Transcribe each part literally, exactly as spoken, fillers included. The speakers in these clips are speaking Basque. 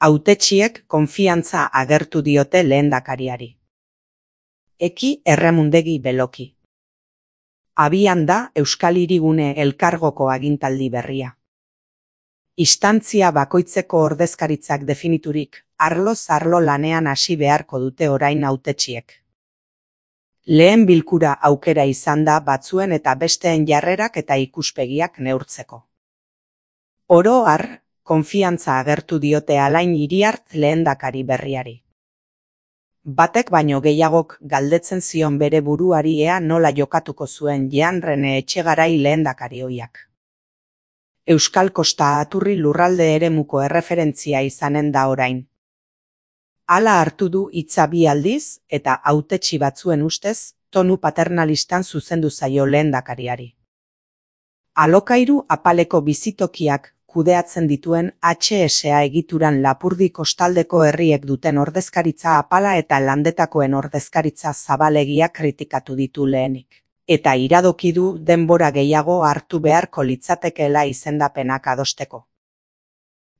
Hautetsiek konfiantza agertu diote lehendakariari. Eki Erremundegi Beloki. Abian da Euskal Hirigune Elkargoko agintaldi berria. Instantzia bakoitzeko ordezkaritzak definiturik, arloz arlo lanean hasi beharko dute orain hautetsiek. Lehen bilkura aukera izan da batzuen eta besteen jarrerak eta ikuspegiak neurtzeko. Oro har, konfiantza agertu diote Alain Iriart lehendakari berriari. Batek baino gehiagok galdetzen zion bere buruari ea nola jokatuko zuen Jean Rene Etxegarai lehendakari ohiak. Euskal Kosta Aturri lurralde eremuko erreferentzia izanen da orain. Hala hartu du hitza bi aldiz eta hautetsi batzuen ustez tonu paternalistan zuzendu zaio lehendakariari. Alokairu apaleko bizitokiak kudeatzen dituen H S A egituran Lapurdi kostaldeko herriek duten ordezkaritza apala eta landetakoen ordezkaritza zabalegia kritikatu ditu lehenik. Eta iradoki du denbora gehiago hartu beharko litzatekeela izendapenak adosteko.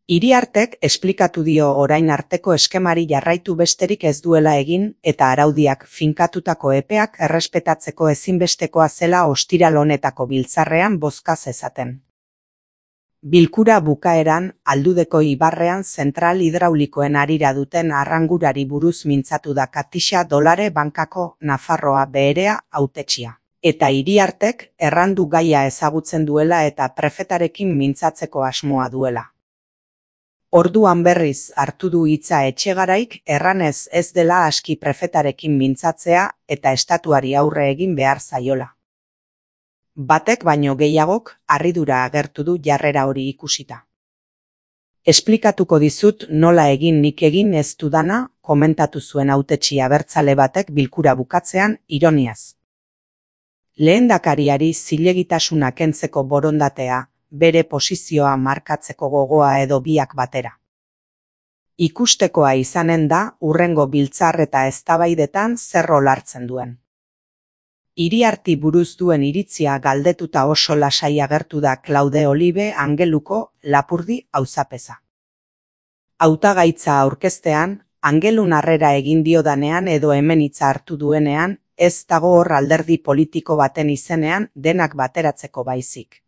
Iriartek esplikatu dio orain arteko eskemari jarraitu besterik ez duela egin eta araudiak finkatutako epeak errespetatzeko ezinbestekoa zela ostiral honetako biltzarrean bozka zezaten. Bilkura bukaeran, Aldudeko ibarrean zentral hidraulikoen harira duten arrangurari buruz mintzatu da Katixa Dolare bankako Nafarroa beherea hautetsia. Eta Iriartek errandu gaia ezagutzen duela eta prefetarekin mintzatzeko asmoa duela. Orduan berriz hartu du hitza Etxegaraik erranez ez dela aski prefetarekin mintzatzea eta estatuari aurre egin behar zaiola. Batek baino gehiagok harridura agertu du jarrera hori ikusita. Esplikatuko dizut nola egin nik egin ez dudana, komentatu zuen hautetsi abertzale batek bilkura bukatzean ironiaz. Lehendakariari zilegitasuna kentzeko borondatea, bere posizioa markatzeko gogoa edo biak batera. Ikustekoa izanen da hurrengo biltzar eta eztabaidetan zer olartzen duen. Iriarti buruz duen iritzia galdetuta oso lasai agertu da Klaude Olibe Angeluko Lapurdi auzapeza. Hautagaitza aurkeztean, Angelun harrera egin diodanean edo hemen hitza hartu duenean, ez dago hor alderdi politiko baten izenean denak bateratzeko baizik.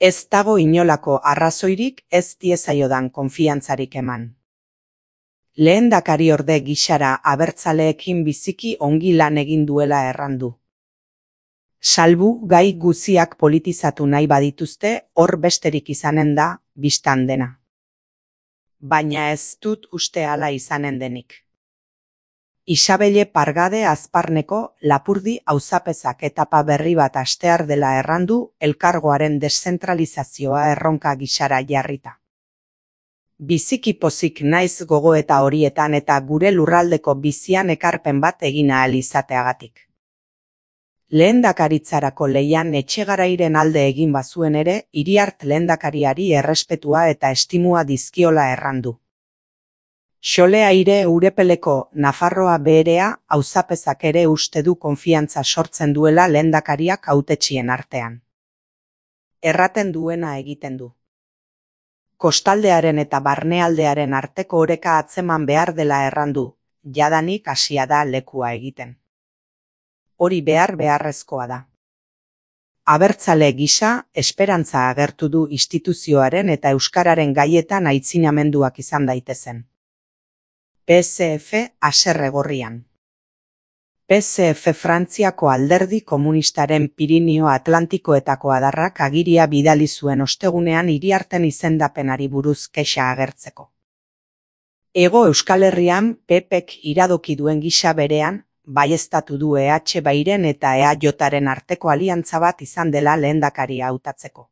Ez dago inolako arrazoirik ez diezaiodan konfiantzarik eman. Lehendakari orde gixara abertzaleekin biziki ongi lan egin duela errandu. Salbu gai guziak politizatu nahi badituzte hor besterik izanen da, bistan dena. Baina ez dut uste hala izanen denik. Isabelle Pargade Azparneko Lapurdi auzapezak etapa berri bat hastear dela errandu elkargoaren deszentralizazioa erronka gixara jarrita. Biziki pozik naiz gogoeta horietan eta gure lurraldeko bizian ekarpen bat egin ahal izateagatik. Lehendakaritzarako leian Etxegarairen alde egin bazuen ere, Iriart lehendakariari errespetua eta estimua dizkiola errandu. Xole Aire Urepeleko Nafarroa beherea auzapezak ere uste du konfiantza sortzen duela lehendakariak hautetxien artean. Erraten duena egiten du. Kostaldearen eta barnealdearen arteko oreka atzeman behar dela errandu, jadanik hasia da lekua egiten. Hori behar beharrezkoa da. Abertzale gisa, esperantza agertu du instituzioaren eta euskararen gaietan aitzinamenduak izan daitezen. P S F haserre gorrian. P S F Frantziako alderdi komunistaren Pirinio Atlantikoetako adarrak agiria bidali zuen ostegunean Iriarten izendapenari buruz kexa agertzeko. Hego Euskal Herrian P Pek iradoki duen gisa berean, baieztatu du E H Bairen eta E A Jaren arteko aliantza bat izan dela lehendakaria hautatzeko.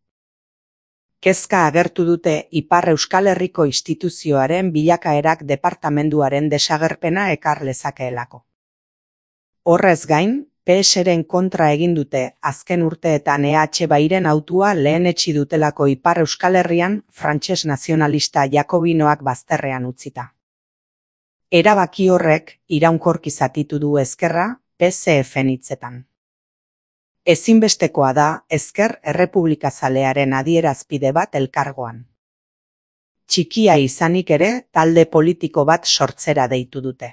Kezka agertu dute Ipar Euskal Herriko instituzioaren bilakaerak departamenduaren desagerpena ekar lezakeelako. Horrez gain, P S-ren kontra egin dute azken urteetan E H Bairen autua lehenetsi dutelako Ipar Euskal Herrian frantses nazionalista jakobinoak bazterrean utzita. Erabaki horrek iraunkorki zatitu du ezkerra P S F-en hitzetan. Ezinbestekoa da ezker errepublikazalearen adierazpide bat elkargoan. txikia izanik ere talde politiko bat sortzera deitu dute.